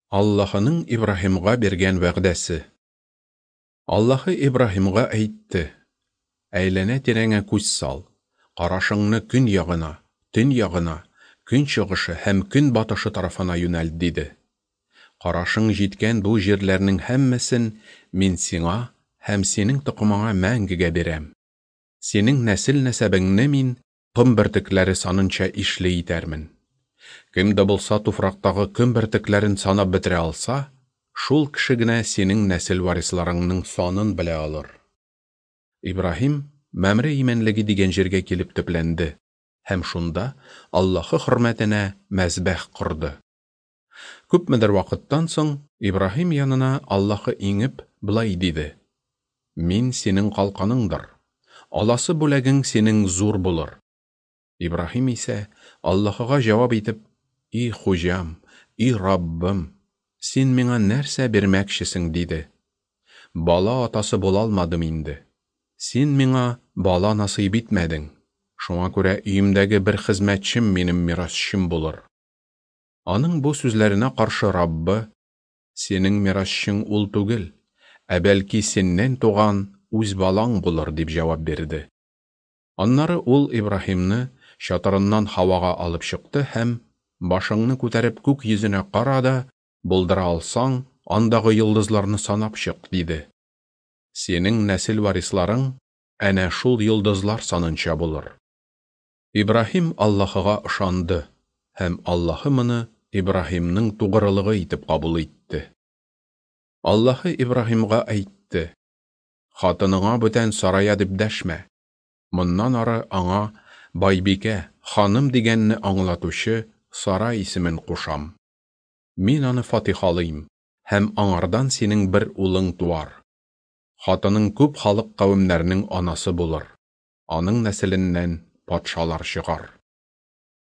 Аллаһының Ибраһимга биргән вәгъдәсе. Аллаһы Ибраһимга әйтте: Әйләнә-тирәңә күз сал, карашыңны көн ягына, төн ягына, көнчыгышы һәм көнбатышы тарафына юнәлт, диде. Карашың җиткән бу җирләрнең һәммәсен мин сиңа һәм синең токымыңа мәңгегә бирәм. Синең нәсел-нәсәбеңне мин ком бөртекләре санынча ишле итәрмен. Кем дә булса туфрактагы ком бөртекләрен санап бетерә алса, шул кеше генә синең нәсел варисларыңның санын белә алыр. Ибраһим Мәмре имәнлеге дигән җиргә килеп төпләнде һәм шунда Аллаһы хөрмәтенә мәзбәх корды. Күпмедер вакыттан соң Ибраһим янына Аллаһы иңеп, болай диде: Мин синең калканыңдыр. Аласы бүләгең синең зур булыр. Ибраһим исә Аллаһыга җавап итеп, И Хуҗам, и Раббым, син миңа нәрсә бирмәкчесең? диде. Бала атасы була алмадым инде. Син миңа бала насыйп итмәдең. Шуңа күрә өемдәге бер хезмәтчем минем мирасчым булыр. Аның бу сүзләренә каршы Раббы, Синең мирасчың ул түгел, ә бәлки синнән туган үз балаң булыр, дип җавап бирде. Аннары ул Ибраһимны чатырыннан һавага алып чыкты һәм, Башыңны күтәреп күк йөзенә кара да, булдыра алсаң, андагы йолдызларны санап чык, диде. Синең нәсел варисларың әнә шул йолдызлар санынча булыр. Ибраһим Аллаһыга ышанды, һәм Аллаһы моны Ибраһимның тугрылыгы итеп кабул итте. Аллаһы Ибраһимга әйтте, Хатыныңа бүтән Сарая дип дәшмә. Моннан ары аңа байбикә, ханым дигәнне аңлатучы Сара исемен кушам. Мин аны фатихалыйм, һәм аңардан синең бер улың туар. Хатының күп халык-кавемнәрнең анасы булыр. Аның нәселеннән патшалар чыгар.